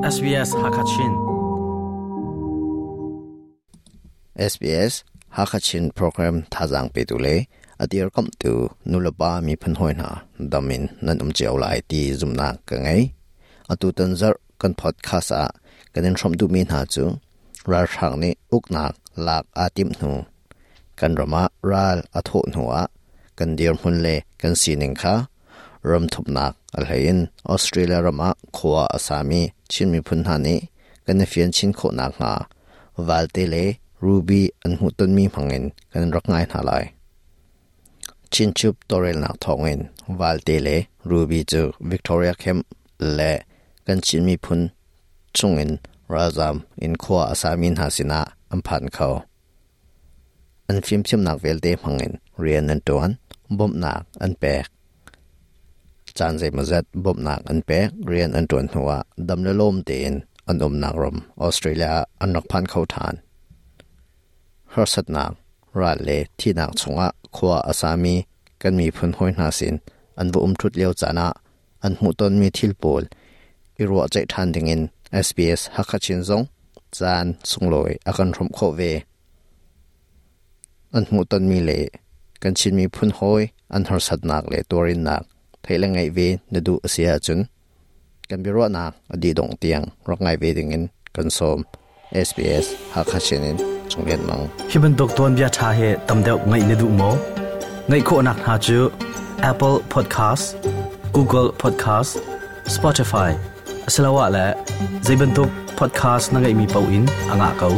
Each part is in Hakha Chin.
SBS Hakachin. SBS Hakachin program thazaang petu le a dirkamhtu nulepa miphun hawi hna dam in nan um cio lai ti zumhnak ka ngei. Atu tan zarh kan podcast ah kan in hrawmh duhmi hna cu ralhrang nih uknak lak aa timh hnu kan ram ah ral a thawh hnu ah kan dirhmun le kan sining kha ram thumnak a hlei in Australia ram ah khua a sami Chin miphun hna nih kan i fian chin khawh nakhnga valte le ruby an hmuhtonmi hmangin kan rak ngai hna lai. Chinchup tawlrelnak thawngin valte le ruby cu Victoria Camp le kan Chin miphun chungin ralzam in khua a sami hna sinah an phan kho. An fimthiamnak vialte hmangin rian an ṭuan, bawmhnak an pek. Caan zeimawzat bawmhnak an pek, rian an ṭuan hnuah dam le lawm tein an umnak ram Australia ah an rak phan kho ṭhan. Harsatnak, ral le thihnak chungah khua a sami kan miphun hawi hna sin an va um ṭhut lio caan ah an hmuhtonmi thil pawl i ruahceih ṭhan dingin SBS Hakha Chin zong caan sunglawi a kan hrawmh khawh ve. An hmuhtonmi le kan Chin miphun hawi an harsatnak le tuarinnak theih le ngaih ve na duh a si ahcun kan biaruahnak a dih dongh tiang rak ngai ve dingin kan sawm. SBS Hakha Chin in Cung Lian Mang. Hi bantuk tuanbia ṭha hi tam deuh ngaih na duh maw? Ngaih khawhnak hna cu Apple Podcast, Google Podcast, Spotify asiloah le zei bantuk podcast na ngeihmi paoh in a ngah ko.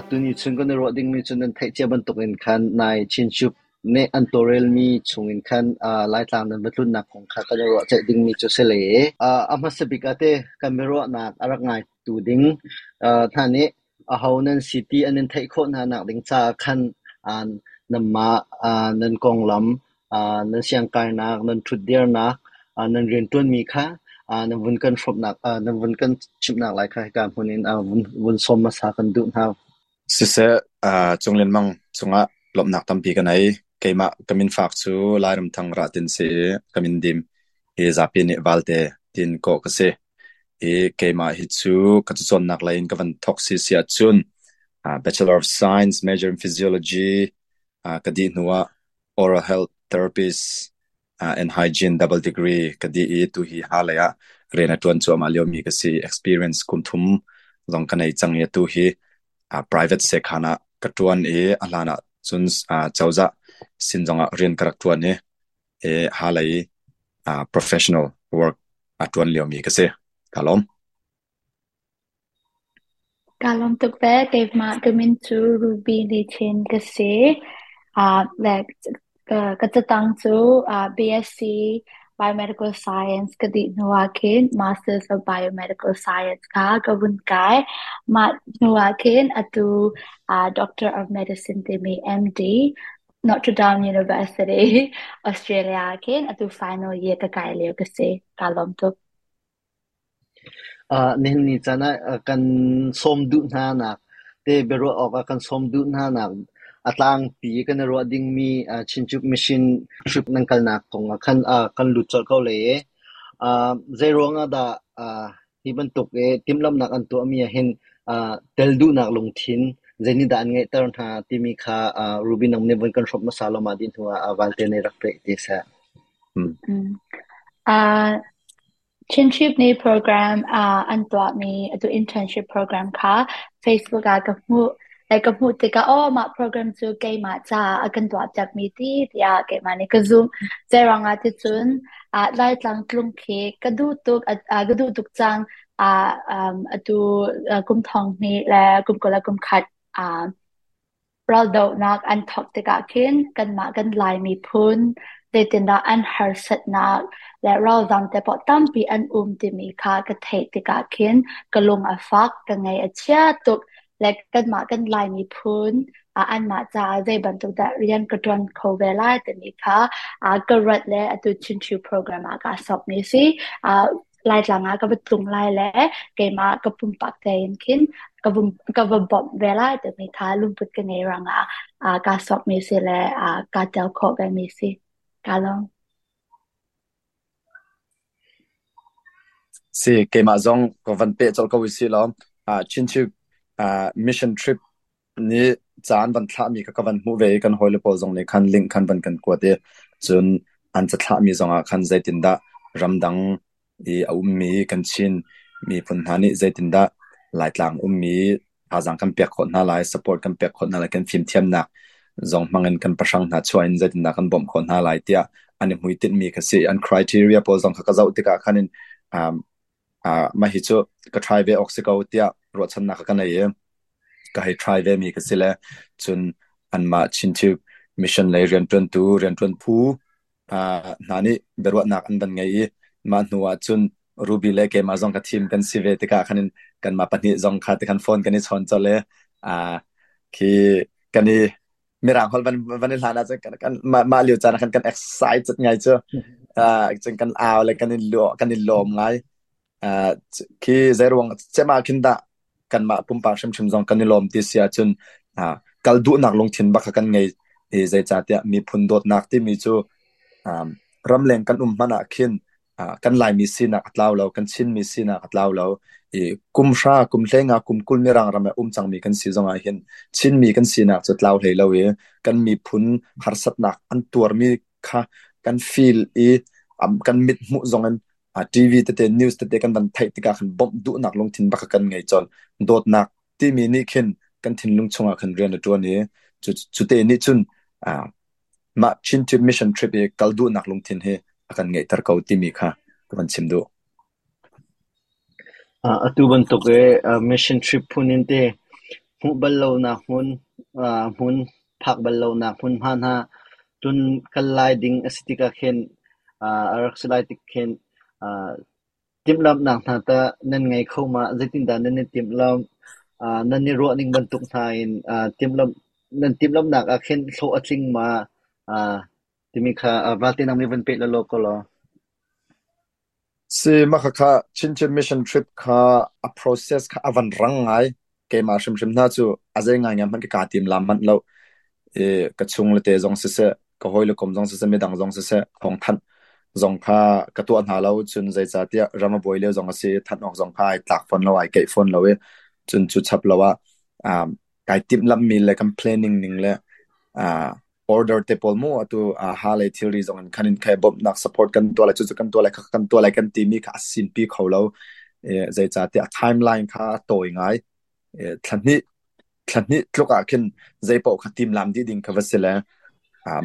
Tuni chung kan i ruah dingmi cu nan theih cia bantukin khan nai Chinchup nih an tawlrelmi chungin khan Laitlang nan va tlunnak kong kha kan i ruahceih dingmi cu si le a hmasa bik ah teh kan biaruahnak a rak ngaitu ding hna nih aho nan si ti an in theih khawh hna nak ding caah khan nanmah nan konglam, nan siangkainak, nan ṭhutdirnak, nan rianṭuanmi kha nan vun kan hrawmhnak, nan vun kan chimhnak lai kha hika hmun in vun sawm hmasa kan duh hna. Siseh, Cung Lian Mang cungah lawmhnak tampi ka nei. Keimah ka minfak cu Lairamthang Rahtin si i ka min dim hi zapi nih Valte tiin kawh ka si. I keimah hi cu ka cacawnnak lei in ka van thawk si si ahcun Bachelor of Science major in Physiology ka dih hnu ah Oral Health Therapist and Hygiene double degree ka dih i tuhi ha lei ah rian a ṭuan cuahmah liomi ka si. Experience kum thum zong ka nei cang i atu hi private sekhan ah ka ṭuan i a hlan ah cun cozah sin zongah rian ka rak ṭuan i ha lei professional work a ṭuan liomi ka si. Ka lawm. Kaa lawm tuk ve. Keimah ka min cu Ruby Lichin ka si. Like ka catang cu BSc Biomedical Science ka dih hnu ah khin Masters of Biomedical Science kha ka vun kai. Mah hnu ah khin atu Doctor of Medicine timi MD Notre Dame University, Australia ah khin atu final year ka kai lio ka si. Kaa lawm tuk. Nihin ni caan ah kan sawm duh hna nak te biaruah awkah kan sawm duh hna nak a tlangpi kan i ruah dingmi Chinchup Mission trip nan kalnak kong ah khan kan lut colh ko lai i zeiruang ah dah hi bantuk i timhlamhnak an tuahmi ah hin tel duhnak lungthin zeinihdah an ngeihter hna timi kha Ruby nang nih vun kan hrawmh hmasa law mah dih hnu ah Valte nih rak peh ti seh. Chinchip nih program an tuahmi atu internship program kha Facebook ah ka hmuh. Like ka hmuh tikah aw mah program cu keimah caah a kan tuahpiakmi ti tiah keimah nih ka zumh. Zeiruang ah ticun Laitlang tlung khi ka duh tuk ka duh tuk cang. Atu kum thong hnih le kum 21 Raldohnak an thawk tikah khin kanmah kan Lai miphun zeitindah an harsatnak le ralzam te paoh tampi an um timi kha ka theih tikah khin ka lung a fak, ka ngaih a chia tuk. Le kanmah kan Lai miphun anmah caah zei bantuk dah rian ka ṭuan kho ve lai timi kha ka ruat le atu Chinchiu program ah kaa sawkmi a si. Laitlang ah ka va tlung lai le keimah ka pumpak tein khin ka va bawmh ve lai timi kha lungput ka ngei ruangah kaa sawkmi si le kaa tel khawh vemi si. Kaa lawm. Si keimah zong ka van peh colh ko i si law Chinchuk mission trip nih ca an van thlahmi kha ka van hmuh ve i kan hawile pawl zong nih khan link khan van kan kuat i cun an cathlahmi zongah khan zeitindah ramdang i a ummi kan Chin miphun hna nih zeitindah Laitlang ummi thazaang kan pek khawh hna lai, support kan pek khawh hna lai, kan fimthiamnak zong hmangin kan pahrang hna chuah in zeitindah kan bawmh khawh hna lai tiah an i hmuitinhmi kha si. An criteria pawl zong kha ka zoh tikah khan in mah hi cu ka try ve awk si ko tiah ruahchannak ka nei i ka hei try ve mi ka si le cun anmah Chin mission lei rianṭuantu rianṭuan phu hna nih biaruahnak an van ngei i mah hnu ah cun Ruby le keimah zong ka thim kan si ve tikah khan in kanmah pahnih zong kha tikhan phone kan i chawn colh i khi kan i mirang holh van van i hlan ah cun kan kan mah mah lio caan ah khan kan excited ngai cu cun kan au le kan i kan i lawm ngai. Khi zeiruang cem ah khin dah kanmah pumpak hrimhrim zong kan i lawm ti si ahcun kal duhnak lungthin bak kha kan ngei i zeicahtiah miphun dawtnak timi cu ramleng kan um hmanh ah khin kan Laimi sinak a tlau lo, kan Chinmi sinak a tlau lo. I kum hra, kum hleinga, kum 20 mirang ram ah um cangmi kan si zongah hin Chinmi kan sinak cu tlau hlei lo i kan miphun harsatnak an tuarmi kha kan feel i kan mit hmuh zong in TV tete, news tete kan van theih tikah khan bawmh duhnak lungthin bak kha kan ngei colh. Dawtnak timi nih khin kan thinlung chungah khan rian a ṭuan i cu te nih cun mah Chin Trip Mission Trip i kal duhnak lungthin hi a kan ngeihter ko timi kha ka van chim duh. Atu bantuk i mission trip phun in te hmuh bal lonak hmun, hmun phak bal lonak hmunhma hna tun kal lai ding a si tikah khin a rak si lai tik khin timhlamhnak hna tah nan ngei kho ma? Zeitindah nan i timhlamh? Nan i ruahning bantuk hna in timhlamh nan timhlamhnak ah khin hlawh a tling ma? Timi kha valte nang nih van peh lawlaw ko law. Si mah khakha Chinchin mission trip kha a process kha a van rang ngai. Keimah hrimhrim hna cu a zei ngaingai hmanh ka kaa tim lam manh lo. I ka chung le te zong siseh, ka hawi le kom zong siseh, midang zong siseh, thawngthanh zong kha ka tuah hna lo. Cun zeicahtiah ram a buai lio zong a si i thanh awk zong kha ai tlak fawn lo, ai keih fawn lo i cun cu chap lo ah kai timhlamhmi le kan planning ning le order te pawl mu atu ha lei thilri zong in khan in khai bawmhnak support kan tuah lai cucu kan tuah lai kha kan tuah lai kan timi kha a sinpi kho lo. Zeicahtiah a timeline kha a tawi ngai. Thla hnih thla hnih tluk ah khin zeipaoh kha timlam dih ding kha va si le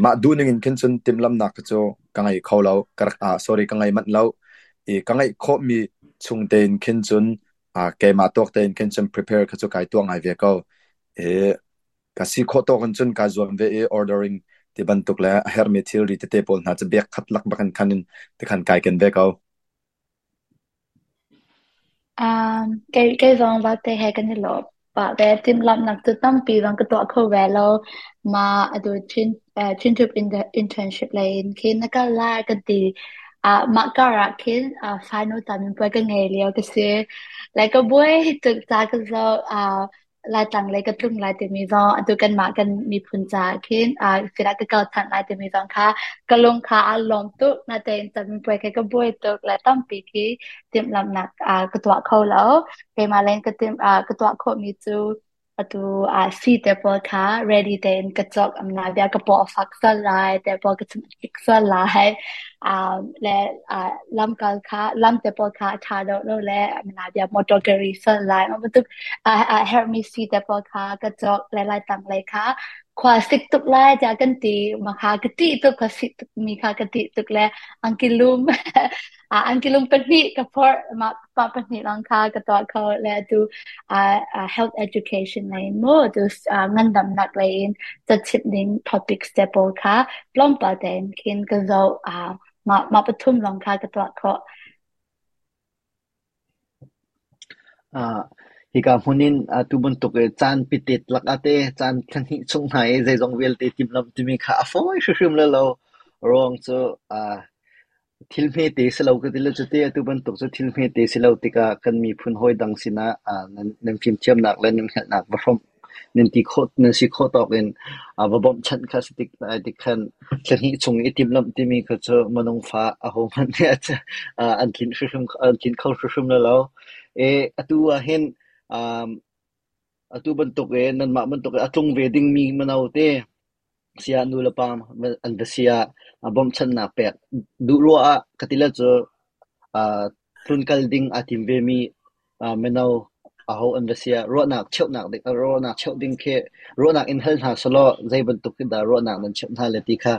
mah duh ning in khin cun timlamnak kha cu ka ngei kho lo ka rak sorry ka ngei manh lo. I ka ngeih khawhmi chung tein khin cun keimah tawk tein khin cun prepare kha cu kai tuah ngai ve ko. I Ka si khawh tawk in cun kaa zuam ve i ordering ti bantuk le a herhmi thilri tete pawl hna cu bek khat lak bak in khan in tikhan kai ken ve ko. Kei zong vate he kan i lawm pah ve. Timhlamhnak cu tampi zong ka tuah kho ve lo. Mah atu Chin Trip internship lei in khin na kal lai kan ti. Mah kar ah khin final caminpuai ka ngei lio ka si. Like ka buai tuk ca ka zoh. Laitlang lei ka tlung lai timi zong atu kanmah kan miphun caah khin filah ka kal than lai timi zong kha ka lung kha aa lawm tuk. Natein caminpuai kha ka buai tuk le tampi khi timhlamhnak ka tuah kho lo. Keimah leng ka timh ka tuah khawhmi cu atu sii te pawl kha ready tein ka cawk amna bia ka paw a fak sual lai te pawl ka chung a kik sual lai le lamkal kha lam te pawl kha a ṭha deuh lo le amna bia motor ka ri sual lai mah bantuk a herhmi sii te pawl kha ka cawk le lai tang lei kha khua sik tuk lai tiah kan ti ma kha ka ṭih tuk khua sik tuk mi kha ka ṭih tuk le angki lum angki lum pahnih ka phorh mah pa pahnih lawng kha ka tuah kho le atu health education lei in mu atu ngandamnak lei in cachimh ding topics te pawl kha tlawmpal tein khin ka zoh mah mah pathum lawng kha ka tuah khawh. Hika hmun in atu bantuk i caan pitet lakah te caan thla hnih chung hna i zeizong vialte timhlamh timi kha a fawi hrimhrim le lo. Ruang cu thil hmete si lo ka ti le cuti atu bantuk cu thil hmete si lo tikah kan miphun hawi dang sinah nan fimthiamnak le nan hngalhnak va hrawmh. Nan ti khawh nan si khawh tawk in va bawmhchanh kha si tik lai tik khan thla hnih chung i timhlamh timi kha cu minung fa ahohmanh nih an tlinh hrimhrim an tlinh kho hrimhrim lai lo. I atu ah hin atu bantuk i nanmah bantuk i a tlung ve dingmi mino te siah nu le pa an va si ah bawmhchanhnak pek duh ruah ah ka ti le cu tlunkal ding aa tim vemi mino aho an va si ah ruahnak cheuhnak ding ruahnak cheuh ding khi ruahnak in hal hna selaw zei bantuk in dah ruahnak nan cheuh hna le ti kha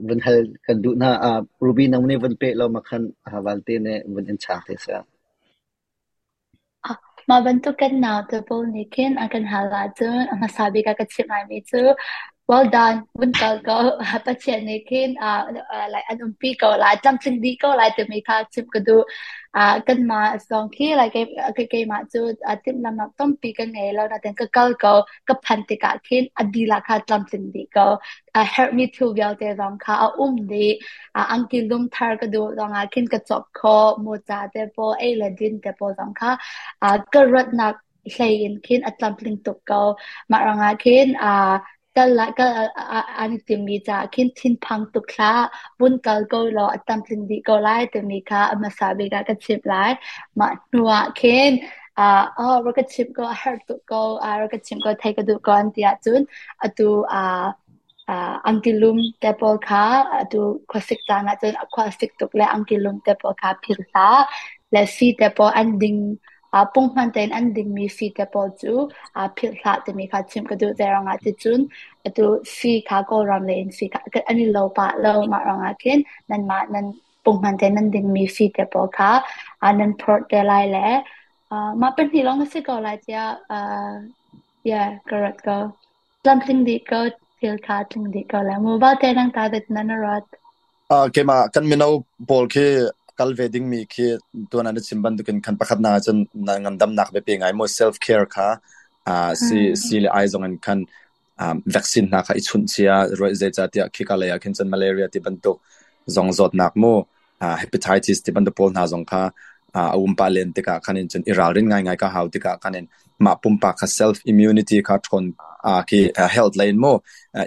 vun hal kan duh hna. Ruby nang nih vun peh law ma khan Valte nih vun in chang te seh. Mah bantuk kan naute pawl nih khin a kan hal ahcun a hmasa bik ah ka chimh laimi cu well done, vun kal ko. Pathian nih khin like an umpi ko lai, tlamtling dih ko lai timi kha chimh ka duh. Kanmah zong khi like keimah cu timhlamhnak tampi ka ngei lo nain ka kal ko. Ka phanh tikah khin a dihlak kha tlamtling dih ko. A herhmi thil vialte zong kha a um dih. Angki lum thar ka duh zongah khin ka cawk khawh. Mawca te pawl, ei le din te pawl zong kha ka ruatnak hlei in khin a tlamtling tuk ko. Mah ruangah khin kal kal an i timmi caah khin thinphang tuk hlah. Vun kal ko law a tlamtling dih ko lai timi kha a hmasa bik ah ka chimh lai. Mah hnu ah khin oh rak ka chimh ko, a herh tuk ko, rak ka chimh ko, thei ka duh ko an ti ahcun atu angki lum te pawl kha atu khuasik caan ahcun khua a sik tuk le angki lum te pawl kha philh hlah. Le sii te pawl an ding punghman tein an dingmi sii te pawl cu philh hlah timi kha chimh ka duh. Zeiruangah ticun atu sii kha Kawlram lei in sii kha an i lo pah lo. Mah ruangah khin nanmah nan punghman tein nan dingmi sii te pawl kha nan phorh te lai le mah pahnih lawng a si ko lai tiah yeah, ka ruat ko. Tlamtling dih ko, thil kha tling dih ko lai mu. Valte nang ta dat na na ruat. Keimah kan mino pawl khi kal ve dingmi khi tuan ah na chim bantukin khan pakhat na cun na ngandamnak biapi ngai mu self care kha si si le ai zong in khan vaccine hna kha i chunh cia zeicahtiah khika lei ah khin cun malaria ti bantuk zong zawtnak mu hepatitis ti bantuk pawl hna zong kha a um pah len tikah khan in cun i ralrin ngaingai ka hau tikah khan in mah pumpak kha self immunity kha ṭhawn khi health lei in mu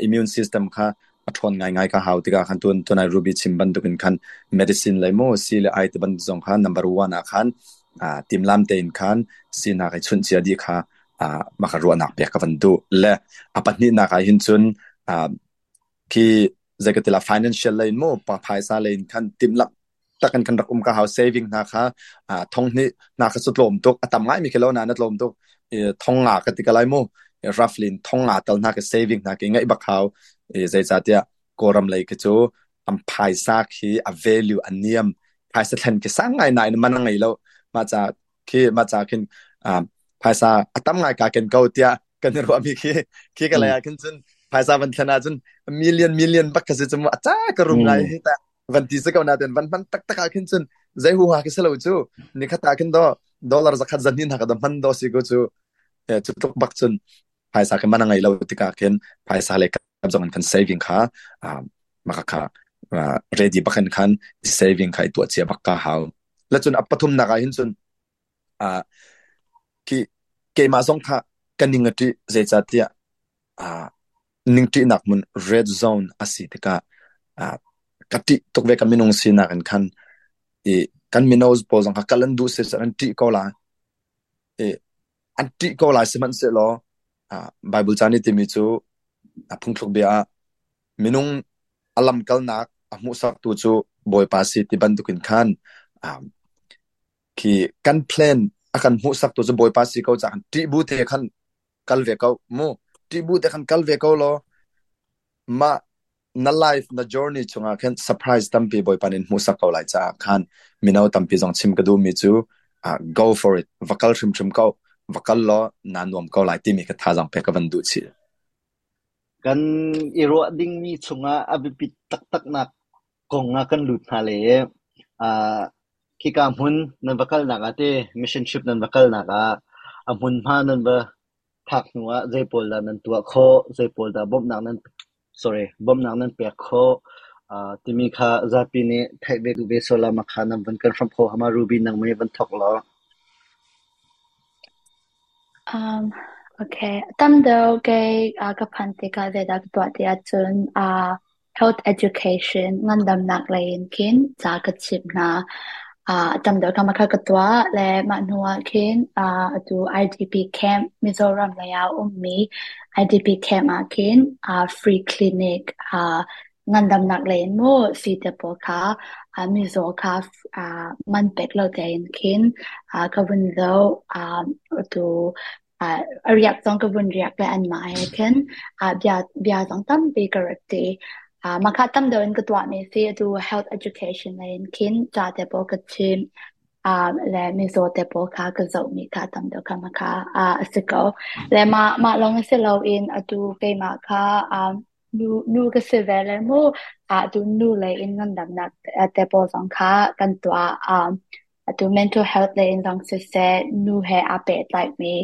immune system kha a ṭhawn ngaingai ka hau tikah khan tun tunai Ruby chim bantukin khan medicine lei mu si le ai ti bantuk zong kha number one ah khan timlam tein khan sinak i chunh cia dih kha mah kha ruahnak pek ka van duh le a pahnihnak ah hin cun khi zei ka ti la financial lei in mu pa phaisa lei in khan timhlamh takin kan rak um ka hau saving hna kha thong hnih hna kha cu tlawm tuk a tam ngai mi khi lo na na tlawm tuk thong nga ka ti ka lai mu roughly thong nga tal hna ka saving hna ki ngaih bak hau zeicahtiah Kawlram lei khi cu an phaisa khi a value a niam phaisa thlen khi sang ngai nain man a ngei lo mah ca khi mah ca khin phaisa a tam ngai ka ken ko tiah kan i ruahmi khi khi ka lei ah khin cun phaisa van thlen ah cun million million bak ka si cu mu a ca ka rum ngai hi ta van ti si ko na ten van hman taktak ah khin cun zei hu ha khi si lo cu ni khat ah khin do dollar zakhat zan hin ha ka do hman do si ko cu cu tluk bak cun phaisa khi man a ngei lo tikah khin phaisa le kam zong in kan saving kha maka kha ready bakhin khan saving kha i tuah cia bak ka hau la cun a pathum nak ah hin cun khi keimah zong kha ka ning a ṭih zeicahtiah ningṭihnak hmun red zone a si tikah ka ṭih tuk ve ka minung sinak in khan i kan mino pawl zong kha kal an duh si an ṭih ko lai i an ṭih ko lai sihmanhsehlaw Bible ca nih timi cu a phungthluk bia ah minung a lamkalnak a hmuhsaktu cu Bawipa si ti bantukin khan khi kan plan a kan hmuhsaktu cu Bawipa si ko caah ṭih bu te khan kal ve ko mu ṭih bu te khan kal ve ko law mah na life na journey chungah khan surprise tampi Bawipa nih hmuhsak ko lai caah khan mino tampi zong chim ka duhmi cu go for it va kal hrimhrim ko va kal law naa nuam ko lai timi ka thazaang pek ka van duh chih. Kan i ruah dingmi chungah a biapit taktaknak kong ah kan lut hna le khika hmun nan va kalnak ah teh mission trip nan va kalnak ah a hmunhma nan va phak hnu ah zei pawl dah nan tuah khawh, zei pawl dah bawmhnak nan sorry bawmhnak nan pek khawh timi kha zapi nih theih ve duh ve sual ah mah kha nan van kan hramh kho hama Ruby nang mei van thawk law. Um. Okay. Tam deuh kei ka phan tikah zeidah ka tuah ti ahcun health education ngandamnak lei in khin ca ka chimh hna. Tam deuh kha ka tuah le mah hnu ah khin atu IDP camp Mizoram lei ah a ummi IDP camp ah khin free clinic ngandamnak lei in mu sii te pawl kha mizaw kha man pek lo tein khin ka vun zoh. Atu a riak zong ka vun riak le anmah he khin bia zong tampi ka rat ṭi. Mah kha tam deuh in ka tuahmi si. Atu health education lei in khin ca te pawl ka chim le mizaw te pawl kha ka zohmi kha tam deuh kha mah kha a si ko. Le mah lawng si loin atu keimah kha nu ka si ve le mu atu nu lei in ngandamnak te pawl zong kha kan tuah. Atu mental health lei in zong siseh, nu he aa pehtlaihmi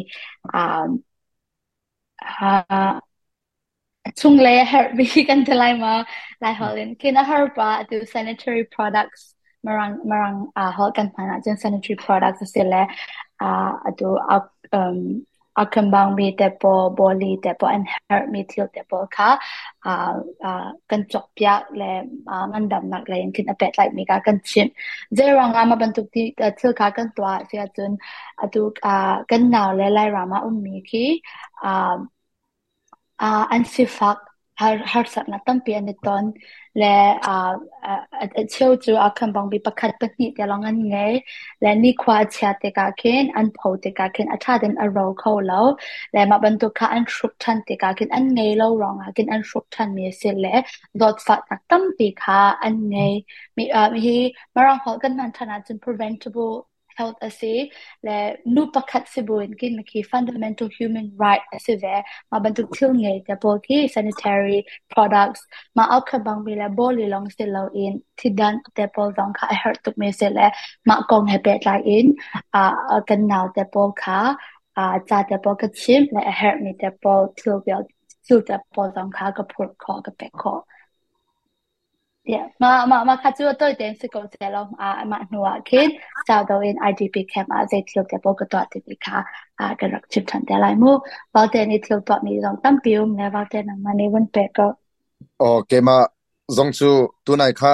chunglei a herhmi kan ti lai maw? Laiholh in khin a har pah. Atu sanitary products mirang mirang holh kan hman ahcun sanitary products a si le atu a kembangmi te pawl, bawli te pawl, an herhmi thil te pawl kha kan cawkpiak le ngandamnak lei in khin a pehtlaihmi kha kan chimh. Zeiruang ah mah bantuk thil kha kan tuah si ahcun atu kan nau le Lairam ah ummi khi An sifak harsatnak tampi an i ton le a cheu cu a khenbangmi pakhat pahnih te lawng an ngei le nikhua a chia tikah khin an pho tikah khin a ṭha tein a ro kho lo le mah bantuk kha an hruk ṭhan tikah khin an ngei lo ruangah khin an hruk ṭhanmi a si le zawtfahnak tampi kha an ngei. Hi Mirang holh kan hman ṭhan ahcun preventable health a si le nu pakhat si buin khin khi fundamental human right a si ve. Mah bantuk thil ngei te pawl khi sanitary products mah au bang mi le bawli lawng si loin thidanh te pawl zong kha a herh tuk mi si le mah kong he pehtlai in kan nau te pawl kha ca te pawl ka chimh le a herh mi te pawl thil thil te pawl zong kha ka phurh khawh ka pek khawh. Yeah, mah kha cu a tawi tein si ko seh law mah hnu ah khin sau deuh in IDP camp ah zei thil te pawl ka tuah timi kha kan rak chim ṭhan te lai mu. Valte nih thil tuahmi zong tampi um le Valte nangmah nih vun pek ko. Aw keimah zong cu tunai kha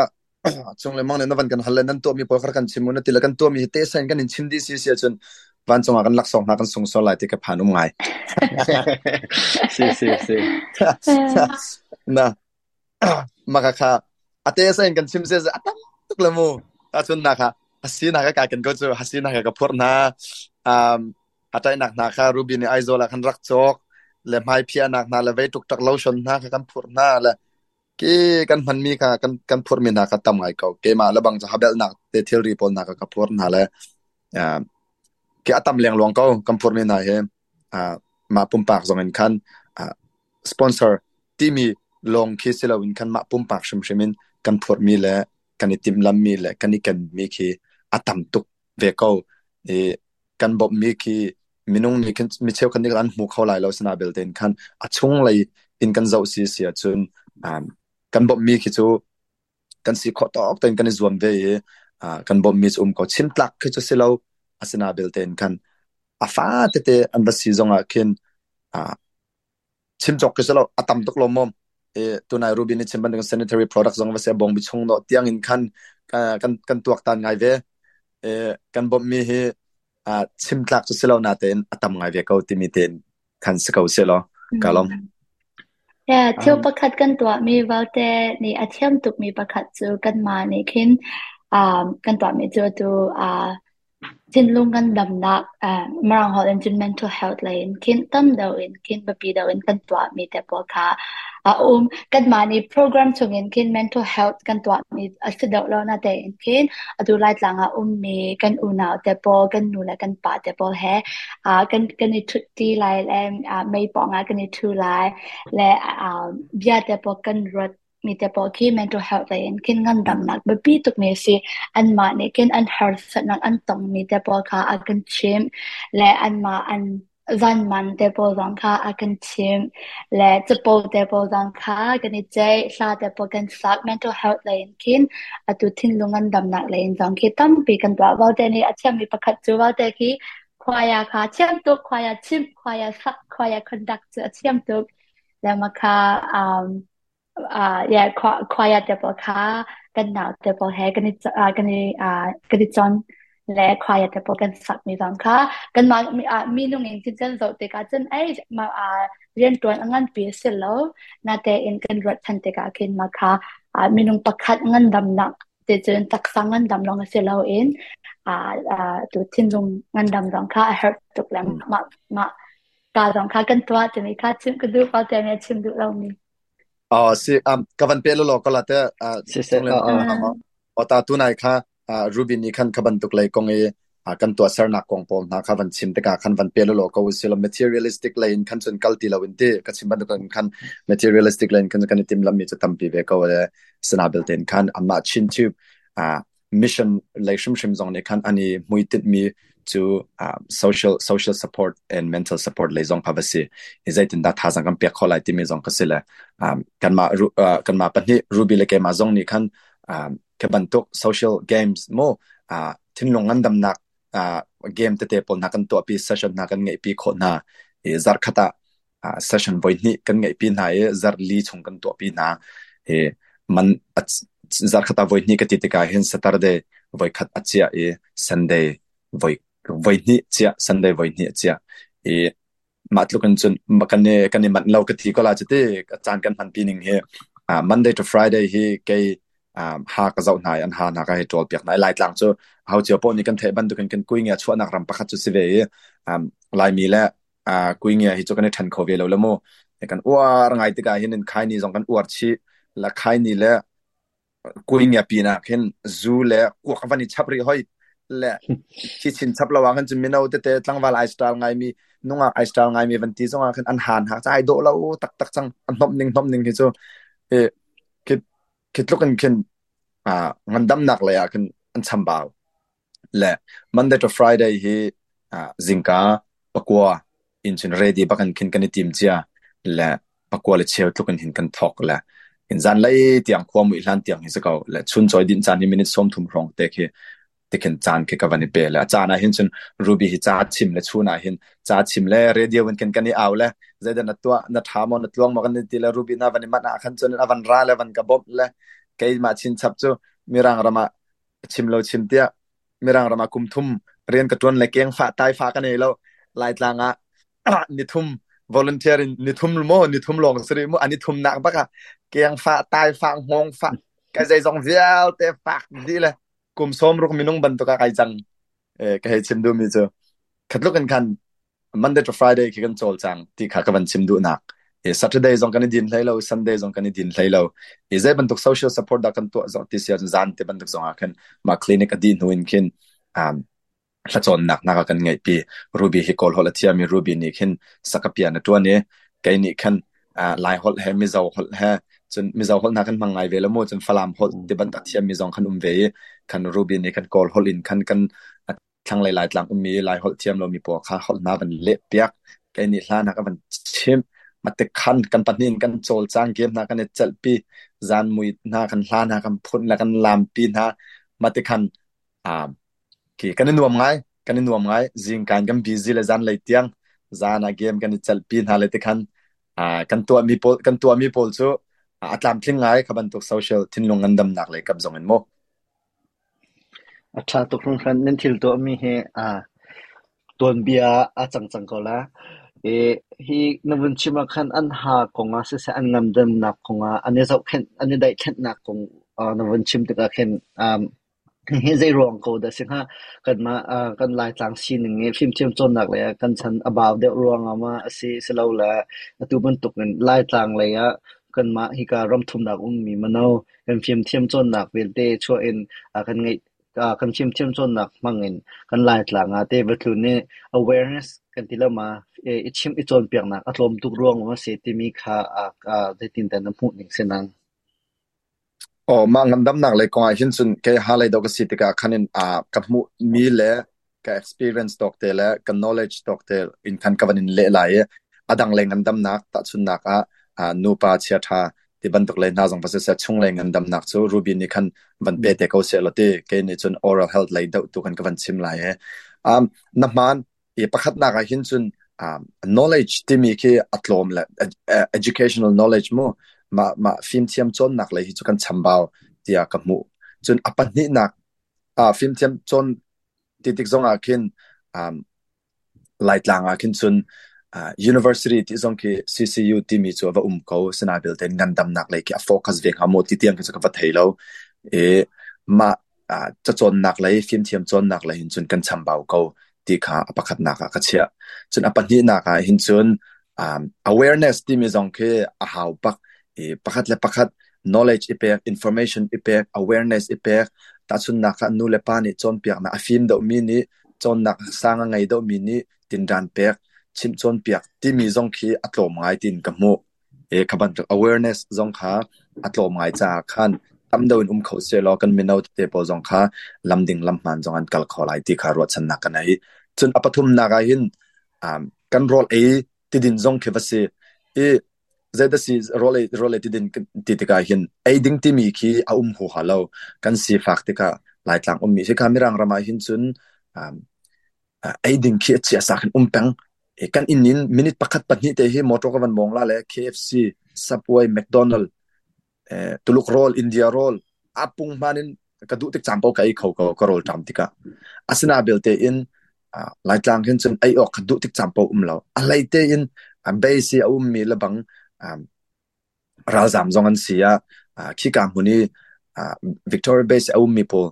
chung le mang nih na van kan hal le nan tuahmi pawl kha kan chim u na ti le kan tuahmi hi tehsa in kan in chim dih si si ahcun vancung ah kan laksawng hna kan sung sual lai ti ka phan um ngai. Si si si. Na Mah kha a te sa in kan chim se a tam tuk le mu. Ahcun na kha hasi na ka kai kan ko cu hasi na ka ka phurh hna. Um a tainak hna kha Ruby nih Aizawl ah khan rak cawk le hmai phiahnak hna le vei tuk tak lotion hna kha kan phurh hna le ki kan hmanmi kha kan kan phurhmi hna kha tam ngai ko. Keimah le bang cu habelnak te thilri pawl hna kha ka phurh hna le ki a tam lengluang ko kan phurhmi hna hi mah pumpak zong in khan sponsor timi lawng khi si loin khan mah pumpak hrimhrim in kan phurhmi le kan i timhlammi le kan i kenmi khi a tam tuk ve ko. I kan bawmhmi khi minung nih khin mi cheukhat nih an hmu kho lai lo sina belte in khan a chunglei in kan zoh si si ahcun kan bawmhmi khi cu kan si khawh tawk tein kan i zuam ve i kan bawmhmi cu um ko. Chim tlak khi cu si lo asina belte in khan a fa tete an va si zong ah khin chim cawk khi si lo a tam tuk lo mom e tunai Ruby nih chim bantuk sanitary product zong va se bong bi chung no tiang in khan kan kan tuak tan ngai ve e kan bawmhmi hi chim tlak cu si lo na tein a tam ngai ve ko timi tein khan si ko se law ka lawm. Yeah, thil pakhat kan tuahmi vialte nih a thiam tukmi pakhat cu kanmah nih khin kan tuahmi cu atu Thinlung kan damnak Mirang holh in cun mental health lei in khin tam deuh in khin biapi deuh in kan tuahmi te pawl kha a um. Kanmah nih program chungin khin mental health kan tuahmi a si deuh lo natein khin atu Laitlang ah ummi kan unau te pawl, kan nu le kan pa te pawl he kan i ṭhutṭi lai le mei pawng ah kan i ṭhu lai le bia te pawl kan ruat mi te pawl khi mental health lei in khin ngandamnak biapi tukmi a si. Anmah nih khin an harsatnak an tongmi te pawl kha a kan chimh le anmah an zanman te pawl zong kha a kan chimh le capo te pawl zong kha kan i ceih, hla te pawl kan sak. Mental health lei in khin atu thinlung ngandamnak lei in zong khi tampi kan tuah. Valte nih a thiammi pakhat cu Valte khi choir kha thiam tuk, choir chimh, choir sak. choir conduct cu a thiam tuk. Le mah kha yeah, choir te pawl kha kan nau te pawl he kan i kan i kan i chon le choir te pawl kan sak mi zong kha kanmah minung in cun kan zoh tikah cun ei mah rianṭuan a nganpi a si lo. Natein kan ruat ṭhan tikah khin mah kha minung pakhat ngandamnak ti cun taksa ngandam lawng a si loin tu thinlung ngandam zong kha a herh tuk le mah mah ka zong kha kan tuah timi kha chim ka duh ko tiah chim duh lomi. Oh si ka van pe lo ko la te Siseh o ta tunai kha Ruby nih khan kha bantuk lei kong i kan tuahsernak kong pawl hna kha van chim tikah khan van pe lo ko si lo materialistic lei in khan cun kal ti lo in ti ka chim bantuk in khan materialistic lei in khan kan i timlam mi cu tampi ve ko le sana belte in khan amah Chin Tube mission lei hrimhrim zong nih khan an i hmuitinh mi cu social social support and mental support lei zong kha va si i zeitindah thazaang kan pek khawh lai timi zong ka si le kanmah kanmah pahnih Ruby le keimah zong nih khan khi bantuk social games mu thinlung ngandamnak game tete pawl hna kan tuahpi session hna kan ngeihpi khawh hna i zarkhat ah session voihnih kan ngeihpi hna i zarh li chung kan tuahpi hna i man zarkhat ah voihnih ka ti tikah hin Saturday voikhat a chiah i Sunday voi voihnih chiah Sunday voihnih a chiah i mah tluk in cun kan i manh lo ka ti ko la cuti caan kan hman pi ning hi Monday to Friday hi kei ha ka zoh hna i an ha hna ka hei ṭawl piak hna i Laitlang cu ho cio paoh nih kan theih bantukin kan kuingia chuahnak ram pakhat cu si ve i Laimi le kuingia hi cu kan i ṭhen kho ve lo le mu kan uar ngai tikah hin in khaini zong kan uar chih la khaini le kuingia pinah khin zu le kuak van i chap rih hoi le thi chin chap lo ah khan cun mino tete tlangval ai style ngaimi nungak ai style ngaimi van ti zong ah khin an han hak ai dawh lo taktak cang a hnomh ning hnomh ning hi cu e khi khi tluk in khin ngandamnak lei ah khin an chambau Le Monday to Friday hi zingka 9 in cun ready bak in khin kan i tim cia le 9:15 tluk in hin kan thawk le in zanlei tiang khua muih hlan tiang hi si ko le chuncawi dinh caan hi minute 30 hrawng te khi tikhin caan khi ka van i pe le a caan ah hin cun Ruby hi ca chim le chun ah hin ca chim le radio in khin kan i au le zeidah na tuah na ṭha maw na tluang maw kan ti le Ruby na van i manh ah khan cun a van ra le van ka bawmh le keimah chinchap cu Mirang ram ah chim lo chim tiah Mirang ram ah kum thum rian ka ṭuan le keng fah tai fa ka nei lo. Laitlang ah nithum volunteer in nithum maw nithum lawng si rih mu ani thum nak bak ah keng fah tai fah hngawng fah ka zeizong vialte fak dih le kum 60 minung bantuk ah kai cang. Ka hei chim duhmi cu khatluk in khan Monday to Friday khi kan cawlcang ti kha ka van chim duhnak. Saturday zong kan i din hlei lo, Sunday zong kan i din hlei lo. I zei bantuk social support dah kan tuah zong ti si ahcun zan te bantuk zong ah khin mah clinic a dih hnu in khin hlacawnnak hna kha kan ngeihpi. Ruby hi Kawl holh a thiam i Ruby nih khin sakapian a ṭuan i kei nih khan Lai holh he Mizo holh he cun Mizo holh hna kan hmang ngai ve lo mu cun Falam holh ti bantuk a thiammi zong khan um ve i khan Ruby nih khan Kawl holh in khan kan thlanglei Laitlang ummi Laiholh thiam lomi pawl kha holh hna van lehpiak. Kei nih hla hna ka van chimh. Mate khan kan pahnih in kan cawlcang game hna kan i celhpi. Zan mui hna kan hla hna kan phun le kan lampi hna. Mate khan khi kan i nuam ngai. Kan i nuam ngai. Zingkaan kan busy le zanlei tiang zan ah game kan i celhpi hna le ti khan kan tuahmi pawl kan tuahmi pawl cu a tlamtling ngai kha bantuk social thinlung ngandamnak lei kap zong in mu. A ṭha tuk hringhran. Nan thil tuahmi hi tuanbia a cang cang ko la. I hi na vun chim ah khan an ha kong ah siseh, an ngamdamnak kong ah, an i zohkhenh, an i daihkhenhnak kong na vun chim tikah khin hihi zei ruang ko dah si hnga? Kanmah kan Laitlang sining i fimthiam cawnnak lei ah kan chan a bau deuh ruangah maw a si, silole atu bantuk in Laitlang lei ah kanmah hika ramthumnak ummi mino kan fimthiam cawnnak vialte chuah in kan ngeih kan fimthiam cawnnak hmang in kan Laitlang ah te va tlun i awareness kan ti lo ma i chimh i cawnpiaknak a tlawm tuk ruang a si timi kha zeitindah na hmuh ning si nang? Aw, mah ngandamnak lei kong ah hin cun kei ha lei dawh ka si tikah khan in ka hmuh mi le ka experience tawk te le ka knowledge tawk te in khan ka van in leh lai i a dang lei ngandamnak tahchunnak ah nupa chiaṭha ti bantuk lei hna zong va siseh chunglei ngandamnak cu Ruby nih khan van pe te ko seh law ti kei nih cun oral health lei deuh tu khan ka van chim lai he. Na hmaan i pakhatnak ah hin cun Knowledge timi khi a tlawm le educational knowledge mu mah mah fimthiam cawnnak lei hi cu kan chambau tiah ka hmuh. Cun a pahnihnak fimthiam cawn ti tik zong ah khin Laitlang ah khin cun university ti zong khi CCU timi cu a va um ko. Asinain belte ngandamnak lei khi a focus ve hnga maw ti tiang khi cu ka va thei lo. I mah cacawnnak lei, fimthiam cawnnak lei hin cun kan chambau ko ti kha a pakhatnak ah ka chiah. Cun a pahnihnak ah hin cun awareness timi zong khi a hau bak. I pakhat le pakhat knowledge i pek, information i pek, awareness i pek. Tahchunhnak ah nu le pa nih cawnpiaknak a fim deuhmi nih cawnnak sang a ngei deuhmi nih tinṭan pek, chimh cawnpiak timi zong khi a tlawm ngai tiin ka hmuh. I kha bantuk awareness zong kha a tlawm ngai caah khan tam deuh in um kho sehlaw kan mino tete pawl zong kha lam ding lam hmaan zong an kal kho lai ti kha ruahchannak ka nei. Cun a pathumnak ah hin kan rawl ei tidin zong khi va si i zeidah si rawl ei tidin ti tikah hin ei ding timi khi a um huaha lo. Kan sifak tikah Laitlang ummi hika Mirang ram ah hin cun ei ding khi a chia khin um peng. Kan inn in minute pakhat pahnih te hi motor ka van mawng la le KFC, Subway, McDonald, Tuluk rawl, India rawl, a pung hman in ka duh tik caan paoh ka ei kho ko ka rawl ṭam tikah. Asina belte in Laitlang hin cun ei awk kha duh tik caan paoh um lo. A hlei tein base i a ummi lebang ralzaam zong an si ah khika hmun i Victoria Base a ummi pawl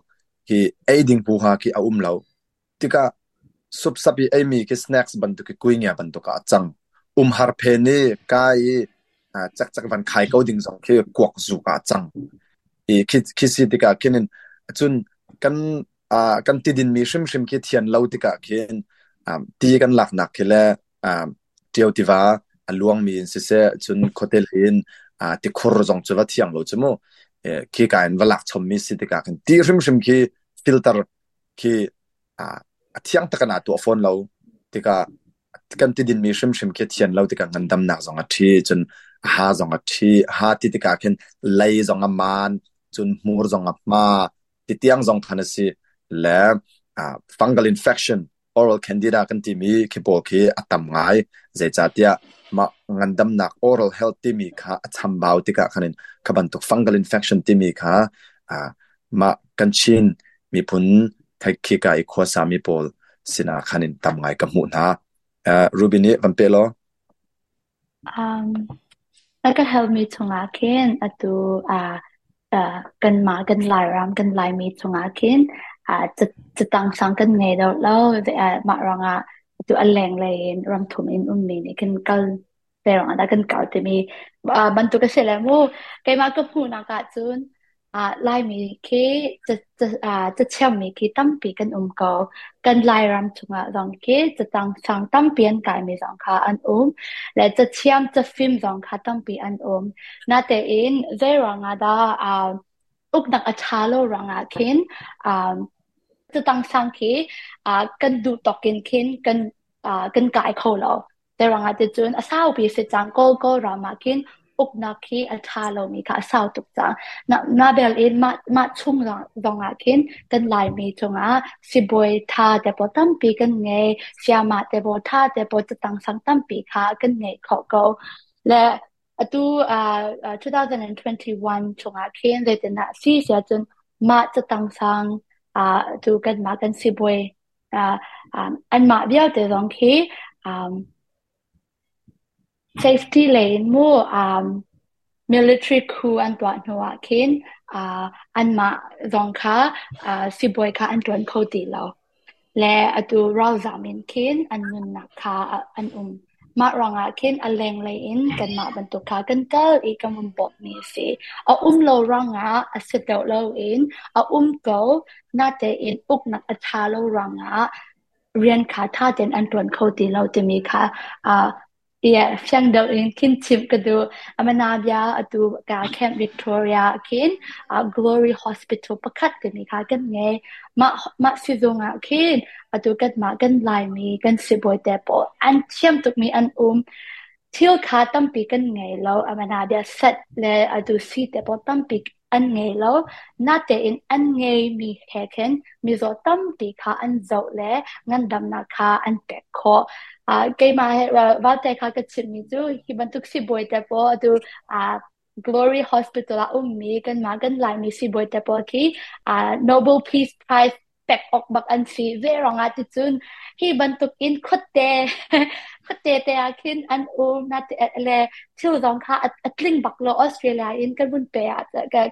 hi ei ding huha khi a um lo. Tikah supsap i eimi khi snacks bantuk i kuingia bantuk ah a cang. Umhar phen i kai i cakcak van khai ko ding zong khi kuak zuk ah a cang. I khi, khi si tikah khin in cun kan kan tidinmi hrimhrim khi thian lo tikah khin ti kan laknak khi le Ṭio tiva a luangmi in siseh, cun khuate lei in tikhur zong cu va thiang lo cu mu. Khika in va lak chommi si tikah khin ti hrimhrim khi filter khi a thiang tak in aa tuah fawn lo tikah kan tidinmi hrimhrim khi thian lo tikah ngandamnak zong a ṭhi, cun a ha zong a ṭhi. Ha ti tikah khin lei zong a maan, cun hmur zong a hma, titiang zong khan a si. Le fungal infection oral candida kan timi khi pawl khi a tam ngai. Zeicahtiah mah ngandamnak oral health timi kha a chambau tikah khan in kha bantuk fungal infection timi kha mah kan Chin miphun khika i khuasa mi pawl sinah khan in tam ngai ka hmuh hna. Ruby nih van pe law. Na ka halmi chungah khin atu kanmah kan Lairam kan Laimi chungah khin catang sang kan ngei deuh lo. Mah ruangah atu a lenglei in ramthum in ummi nih khin kal zei ruangah dah kan kal timi bantuk a si le mu. Keimah ka hmuhnak ahcun Laimi khi cathiammi khi tampi kan um ko. Kan Lairam chungah zong khi catang sang tampi an kaimi zong kha an um. Le cathiam, cafim zong kha tampi an um. Natein zeiruang ah dah uknak a ṭha lo ruangah khin catang sang khi kan duh tawk in khin kan kai kho lo. Zeiruangah ticun a saupi si cang. Kawl Kawlram ah khin uknak khi a ṭha lomi kha a sau tuk cang. Na bel in mah chung zong ah khin kan Laimi cungah sibawi ṭha te pawl tampi kan ngei. Sayamah te pawl ṭha te pawl catang sang tampi kha kan ngei khawh ko. Le atu 2021 chungah khin zeitindah a si siah cun mah catang sang tu kanmah kan sibawi anmah vialte zong khi safety lei in mu military coup an tuah hnu ah khin anmah zong kha sibawi kha an ṭuan kho ti lo. Le atu ralzam in khin an nunnak kha an um. Mah ruangah khin a lenglei in kanmah bantuk kha kan kal i kan vun bawmhmi a si. A um lo ruangah a si deuh loin a um ko, natein uknak a ṭha lo ruangah rian kha ṭha tein an ṭuan kho ti lo timi kha fiang deuh in khin chimh ka duh. Amanabia atu ka Camp Victoria khin Glory Hospital pakhat timi kha kan ngei. Mah sizung ah khin atu kanmah kan Laimi kan sibawi te pawl an thiam tukmi an um. Thil kha tampi kan ngei lo. Amanabia set le atu si te pawl tampi. an ngei lo. Natein an ngeimi he khin mizaw tampi kha an zoh le ngandamnak kha an pek khawh. Keimah he Valte kha ka chimmi cu hi bantuk sibawi te pawl atu Glory Hospital ah ummi kanmah kan Laimi sibawi te pawl khi Nobel Peace Prize pek awk bak an si. Zeiruangah ticun hi bantuk in khuate khuate te ah khin an um na le thil zong kha a tling bak lo. Australia in kan vun pe ah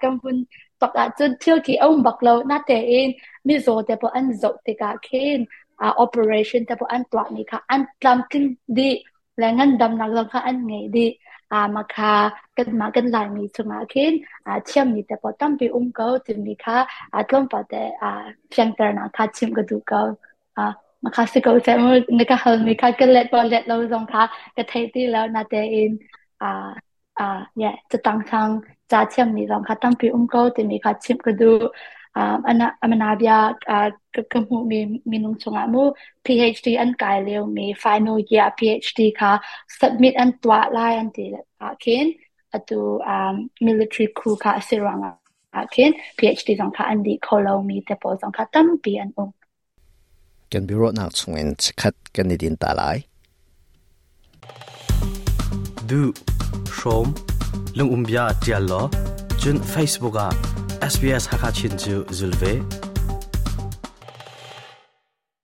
kan vun tok ahcun thil khi a um bak lo. Natein mizaw te pawl an zoh tikah khin operation te pawl an tuahmi kha an tlamtling dih le ngandamnak zong kha an ngei dih. Mah kha kanmah kan Laimi chungah khin thiammi te pawl tampi um ko timi kha tlawmpal te fianternak kha chimh ka duh ko. Mah kha si ko seh mu, na ka halmi kha ka let maw let lo zong kha ka thei ti lo. Natein yeah, catang sang ca thiammi zong kha tampi um ko timi kha chimh ka duh. Amanabia ka hmuhmi minung chungah mu PhD an kai liomi final year PhD kha submit an tuah lai an ti ah khin atu military coup kha a si ruangah ah khin PhD zong kha an dih kho lomi te pawl zong kha tampi an um. Kan biaruahnak chungin chikkhat kan i din ta lai. Duh, hrawm, lungumbia ṭial law, cun Facebook ah SBS Hakha Chin cu zul ve.